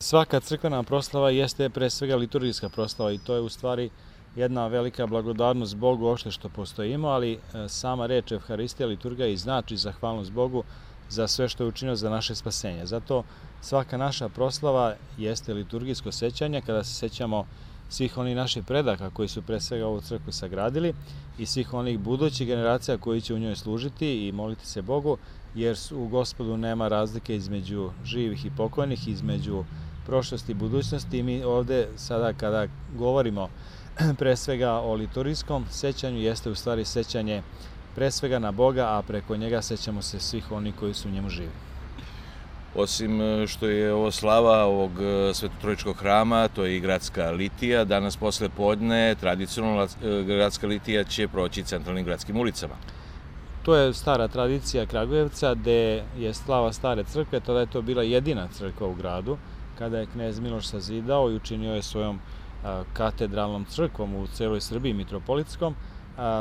Svaka crkvena proslava jeste pre svega liturgijska proslava i to je u stvari jedna velika blagodarnost Bogu uopšte što postojimo, ali sama reč Evharistija, liturgija i znači zahvalnost Bogu za sve što je učinio za naše spasenje. Zato svaka naša proslava jeste liturgijsko sećanje kada se sećamo svih onih naših predaka koji su pre svega ovu crkvu sagradili i svih onih budućih generacija koji će u njoj služiti i moliti se Bogu, jer u Gospodu nema razlike između živih i pokojnih, između prošlosti i budućnosti. I mi ovde sada kada govorimo pre svega o liturgijskom sećanju, jeste u stvari sećanje pre svega na Boga, a preko njega sećamo se svih onih koji su u njemu živi. Osim što je ovo slava ovog Svetotrojičkog hrama, to je i gradska litija. Danas posle podne tradicionalna gradska litija će proći centralnim gradskim ulicama. To je stara tradicija Kragujevca, gde je slava stare crkve, tada je to bila jedina crkva u gradu, kada je knez Miloš sazidao i učinio je svojom katedralnom crkvom u celoj Srbiji, mitropolitskom.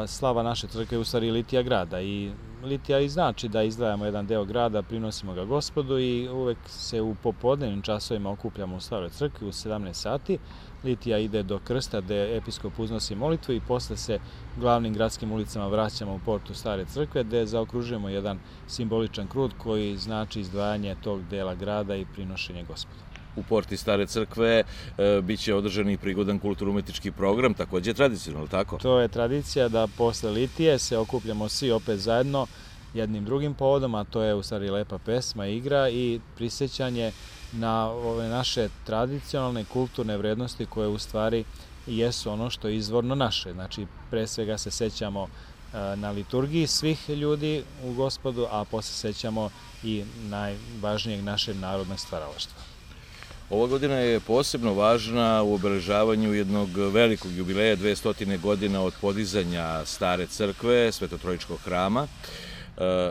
Slava naše crkve je u stvari litija grada i litija i znači da izdvajamo jedan deo grada, prinosimo ga Gospodu i uvek se u popodnevnim časovima okupljamo u staroj crkvi u 17 sati. Litija ide do krsta gde episkop uznosi molitvu i posle se glavnim gradskim ulicama vraćamo u portu stare crkve gde zaokružujemo jedan simboličan krug koji znači izdvajanje tog dela grada i prinošenje Gospodu. U porti stare crkve biće održan i prigodan kulturno-umetnički program, takođe tradicionalno, tako? To je tradicija da posle litije se okupljamo svi opet zajedno jednim drugim povodom, a to je u stvari lepa pesma, igra i prisećanje na ove naše tradicionalne kulturne vrednosti koje u stvari jesu ono što je izvorno naše. Znači, pre svega se sećamo na liturgiji svih ljudi u Gospodu, a posle sećamo i najvažnijeg našeg narodnog stvaralaštva. Ova godina je posebno važna u obeležavanju jednog velikog jubileja, 200 godina od podizanja stare crkve, Svetotrojičkog hrama.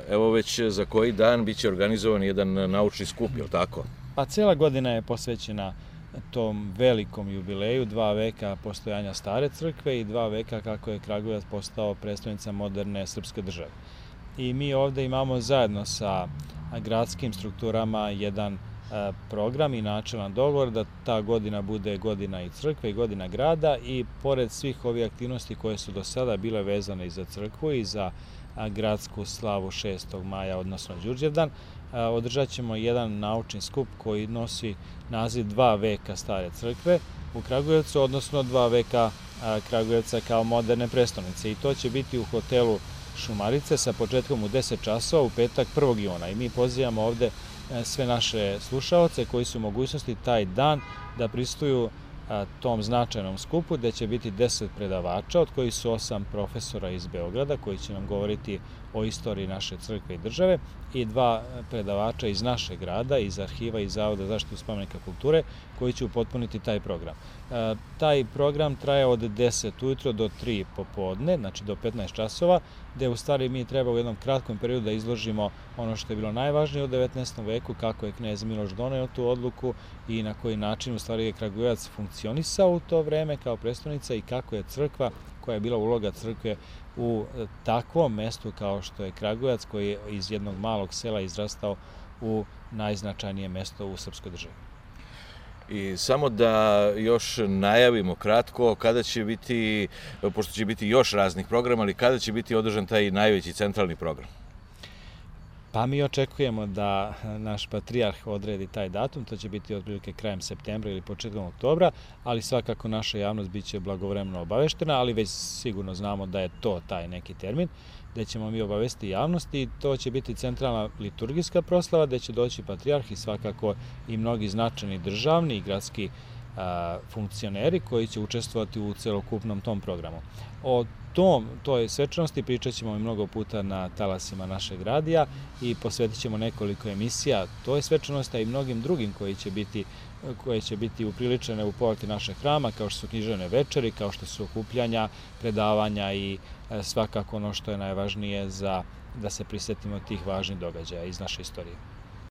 Evo već za koji dan biće organizovan jedan naučni skup, je li tako? Pa cela godina je posvećena tom velikom jubileju, 2 veka postojanja stare crkve i 2 veka kako je Kragujevac postao prestonica moderne srpske države. I mi ovde imamo zajedno sa gradskim strukturama jedan program i načelan dogovor da ta godina bude godina i crkve i godina grada i pored svih ovih aktivnosti koje su do sada bile vezane i za crkvu i za gradsku slavu 6. maja, odnosno Đurđevdan, održat ćemo jedan naučni skup koji nosi naziv 2 veka stare crkve u Kragujevcu, odnosno 2 veka Kragujevca kao moderne prestonice i to će biti u hotelu Šumarice sa početkom u 10 časova u petak 1. juna i mi pozivamo ovde sve naše slušaoce koji su u mogućnosti taj dan da prisustvuju tom značajnom skupu gde će biti 10 predavača, od kojih su 8 profesora iz Beograda koji će nam govoriti o istoriji naše crkve i države i 2 predavača iz našeg grada, iz arhiva i Zavoda za zaštitu spomenika kulture koji će upotpuniti taj program. Taj program traje od 10 ujutro do 3 popodne, znači do 15 časova, gde u stvari mi treba u jednom kratkom periodu da izložimo ono što je bilo najvažnije u 19. veku, kako je knez Miloš doneo tu odluku i na koji način u stvari je Kragujevac funkcionisao u to vreme kao prestonica i kako je crkva, koja je bila uloga crkve u takvom mestu kao što je Kragujevac, koji je iz jednog malog sela izrastao u najznačajnije mesto u srpskoj državi. I samo da još najavimo kratko kada će biti, pošto će biti još raznih programa, ali kada će biti održan taj najveći centralni program? Pa mi očekujemo da naš patrijarh odredi taj datum, to će biti otprilike krajem septembra ili početkom oktobra, ali svakako naša javnost biće blagovremeno obaveštena, ali već sigurno znamo da je to taj neki termin, gde ćemo mi obavesti javnost i to će biti centralna liturgijska proslava, gde će doći patrijarh i svakako i mnogi značajni državni i gradski funkcioneri koji će učestvovati u celokupnom tom programu. O toj svečanosti pričat ćemo i mnogo puta na talasima našeg radija i posvetit ćemo nekoliko emisija toj svečanosti, a i mnogim drugim koje će biti upriličene u porti našeg hrama, kao što su književne večeri, kao što su okupljanja, predavanja i svakako ono što je najvažnije da se prisetimo tih važnih događaja iz naše istorije.